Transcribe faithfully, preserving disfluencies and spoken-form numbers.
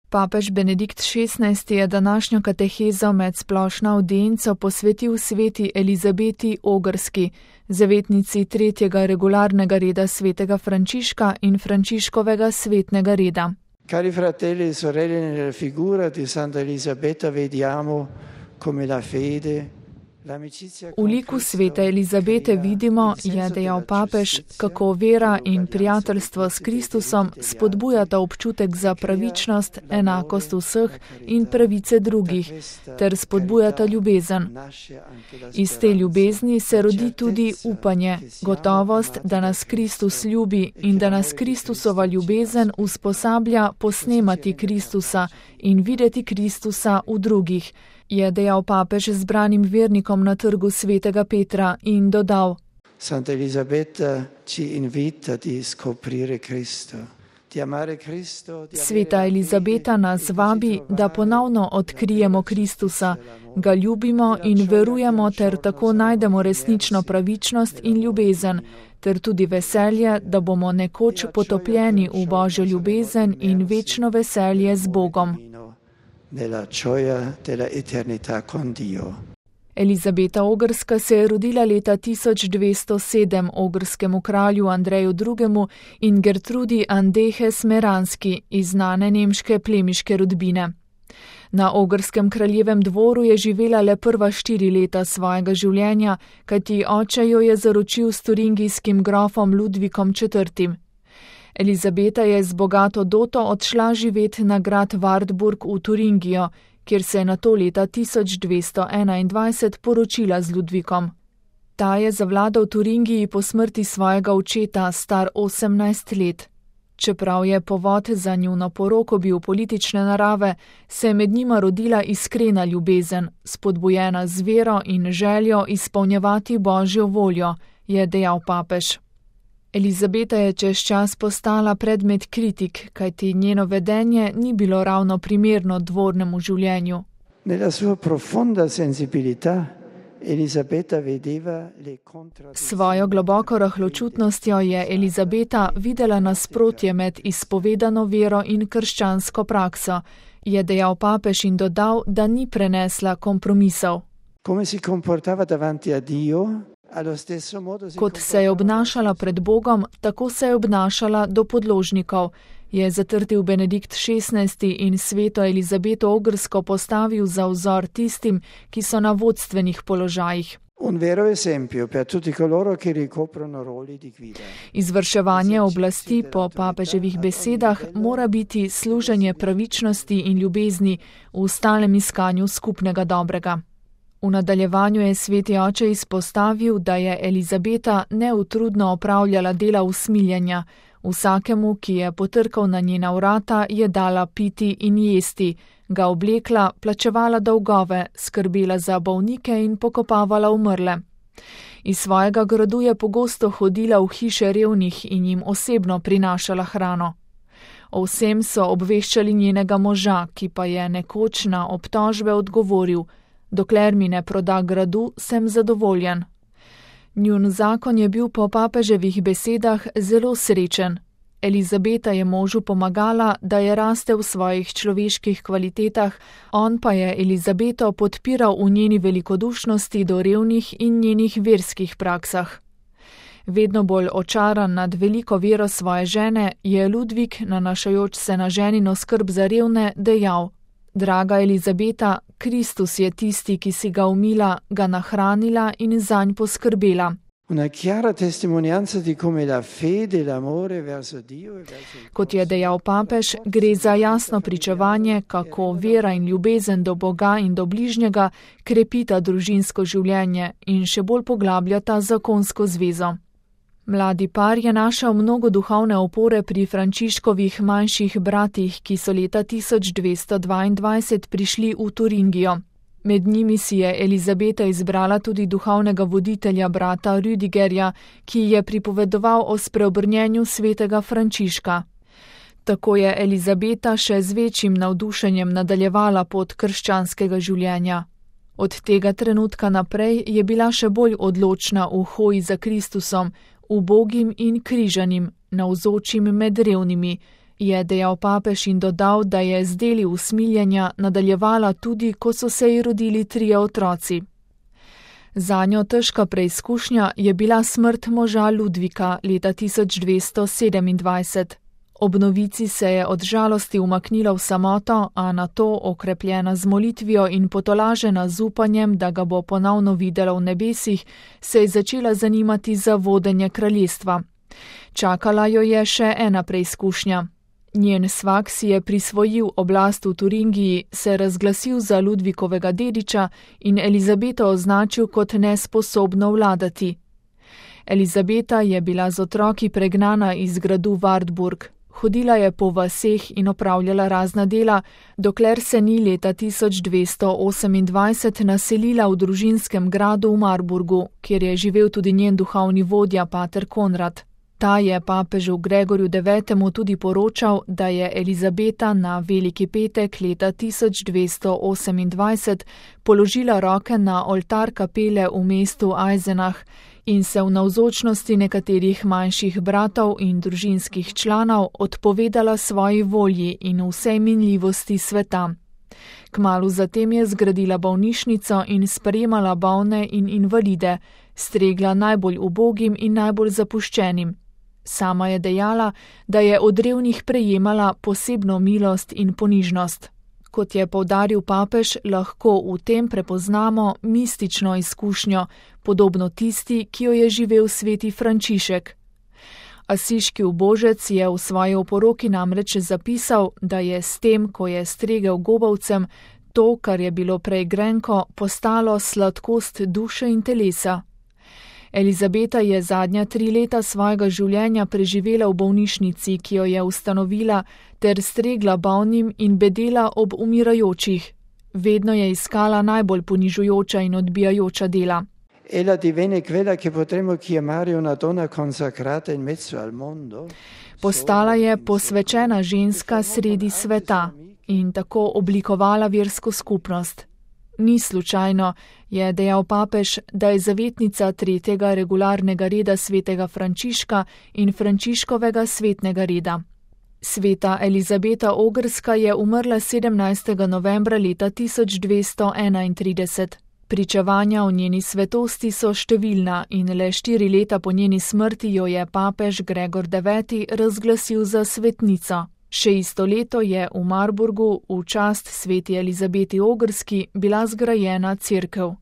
Papež Benedikt šestnajsti je današnjo katehezo med splošno avdienco posvetil sveti Elizabeti Ogrski, zavetnici tretjega regularnega reda svetega Frančiška in Frančiškovega svetnega reda. Cari fratelli e sorelle, nella figura di Santa Elisabetta vediamo come la fede. V liku svete Elizabete vidimo, je dejal papež, kako vera in prijateljstvo s Kristusom spodbujata občutek za pravičnost, enakost vseh in pravice drugih, ter spodbujata ljubezen. Iz te ljubezni se rodi tudi upanje, gotovost, da nas Kristus ljubi in da nas Kristusova ljubezen usposablja posnemati Kristusa in videti Kristusa v drugih, je dejal papež zbranim vernikom na trgu svetega Petra in dodal: Santa Elisabetta ci invita di scoprire Cristo, di amare Cristo. Sveta Elizabeta nas vabi, da ponovno odkrijemo Kristusa, ga ljubimo in verujemo ter tako najdemo resnično pravičnost in ljubezen, ter tudi veselje, da bomo nekoč potopljeni v Božjo ljubezen in večno veselje z Bogom. Nella gioia della eternità con Dio. Elizabeta Ogrska se je rodila leta tisoč dvesto sedem ogrskemu kralju Andreju drugemu in Gertrudi Andehes Meranski iz znane nemške plemiške rodbine. Na ogrskem kraljevem dvoru je živela le prva štiri leta svojega življenja, kajti oče jo je zaročil s turingijskim grofom Ludvikom četrtim. Elizabeta je z bogato doto odšla živeti na grad Wartburg v Turingijo, kjer se je nato leta tisoč dvesto enaindvajset poročila z Ludvikom. Ta je zavladal Turingiji po smrti svojega očeta, star osemnajst let. Čeprav je povod za njuno poroko bil politične narave, se je med njima rodila iskrena ljubezen, spodbujena z vero in željo izpolnjevati Božjo voljo, je dejal papež. Elizabeta je čez čas postala predmet kritik, kajti njeno vedenje ni bilo ravno primerno dvornemu življenju. Nella sua profonda sensibilità Elisabetta vedeva le contraddizioni. Svojo globoko rahločutnostjo je Elizabeta videla nasprotje med izpovedano vero in krščansko prakso, je dejal papež in dodal, da ni prenesla kompromisov. Come si comportava davanti a Dio? Kot se je obnašala pred Bogom, tako se je obnašala do podložnikov, je zatrdil Benedikt šestnajsti in sveto Elizabeto Ogrsko postavil za vzor tistim, ki so na vodstvenih položajih. Izvrševanje oblasti po papeževih besedah mora biti služenje pravičnosti in ljubezni v stalnem iskanju skupnega dobrega. V nadaljevanju je sveti oče izpostavil, da je Elizabeta neutrudno opravljala dela usmiljanja. Vsakemu, ki je potrkal na njena vrata, je dala piti in jesti, ga oblekla, plačevala dolgove, skrbela za bolnike in pokopavala umrle. Iz svojega gradu je pogosto hodila v hiše revnih in jim osebno prinašala hrano. O vsem so obveščali njenega moža, ki pa je nekoč na obtožbe odgovoril: dokler mi ne proda gradu, sem zadovoljen. Njun zakon je bil po papeževih besedah zelo srečen. Elizabeta je možu pomagala, da je raste v svojih človeških kvalitetah, on pa je Elizabeto podpiral v njeni velikodušnosti do revnih in njenih verskih praksah. Vedno bolj očaran nad veliko vero svoje žene, je Ludvik, nanašajoč se na ženino skrb za revne, dejal: draga Elizabeta, Kristus je tisti, ki si ga umila, ga nahranila in zanj poskrbela. Kot je dejal papež, gre za jasno pričevanje, kako vera in ljubezen do Boga in do bližnjega krepita družinsko življenje in še bolj poglabljata zakonsko zvezo. Mladi par je našel mnogo duhovne opore pri Frančiškovih manjših bratih, ki so leta tisoč dvesto dvaindvajset prišli v Turingijo. Med njimi si je Elizabeta izbrala tudi duhovnega voditelja brata Rüdigerja, ki je pripovedoval o spreobrnjenju svetega Frančiška. Tako je Elizabeta še z večjim navdušenjem nadaljevala pot krščanskega življenja. Od tega trenutka naprej je bila še bolj odločna v hoji za Kristusom, ubogim in križanim, navzočim med revnimi, je dejal papež in dodal, da je z deli usmiljenja nadaljevala tudi, ko so se ji rodili trije otroci. Zanjo težka preizkušnja je bila smrt moža Ludvika leta tisoč dvesto sedemindvajset. Ob novici se je od žalosti umaknila v samoto, a nato, okrepljena z molitvijo in potolažena z upanjem, da ga bo ponovno videla v nebesih, se je začela zanimati za vodenje kraljestva. Čakala jo je še ena preizkušnja. Njen svak si je prisvojil oblast v Turingiji, se razglasil za Ludvikovega dediča in Elizabeto označil kot nesposobno vladati. Elizabeta je bila z otroki pregnana iz gradu Wartburg. Hodila je po vaseh in opravljala razna dela, dokler se ni leta tisoč dvesto osemindvajset naselila v družinskem gradu v Marburgu, kjer je živel tudi njen duhovni vodja, pater Konrad. Ta je papežu Gregorju devetemu tudi poročal, da je Elizabeta na Veliki petek leta tisoč dvesto osemindvajset položila roke na oltar kapele v mestu Eisenach in se v navzočnosti nekaterih manjših bratov in družinskih članov odpovedala svoji volji in vsej minljivosti sveta. Kmalu zatem je zgradila bolnišnico in sprejemala bolne in invalide, stregla najbolj ubogim in najbolj zapuščenim. Sama je dejala, da je od revnih prejemala posebno milost in ponižnost. Kot je poudaril papež, lahko v tem prepoznamo mistično izkušnjo, podobno tisti, ki jo je živel sveti Frančišek. Asiški ubožec je v svoji oporoki namreč zapisal, da je s tem, ko je stregel gobavcem, to, kar je bilo prej grenko, postalo sladkost duše in telesa. Elizabeta je zadnja tri leta svojega življenja preživela v bolnišnici, ki jo je ustanovila, ter stregla bolnim in bedela ob umirajočih. Vedno je iskala najbolj ponižujoča in odbijajoča dela. Ella divenne quella che potremmo chiamare una donna consacrata in mezzo al mondo. Postala je posvečena ženska sredi sveta in tako oblikovala versko skupnost. Ni slučajno, je dejal papež, da je zavetnica tretjega regularnega reda svetega Frančiška in Frančiškovega svetnega reda. Sveta Elizabeta Ogrska je umrla sedemnajstega novembra leta tisoč dvesto enaintrideset. Pričevanja o njeni svetosti so številna in le štiri leta po njeni smrti jo je papež Gregor deveti razglasil za svetnico. Še isto leto je v Marburgu v čast sveti Elizabeti Ogrski bila zgrajena cerkev.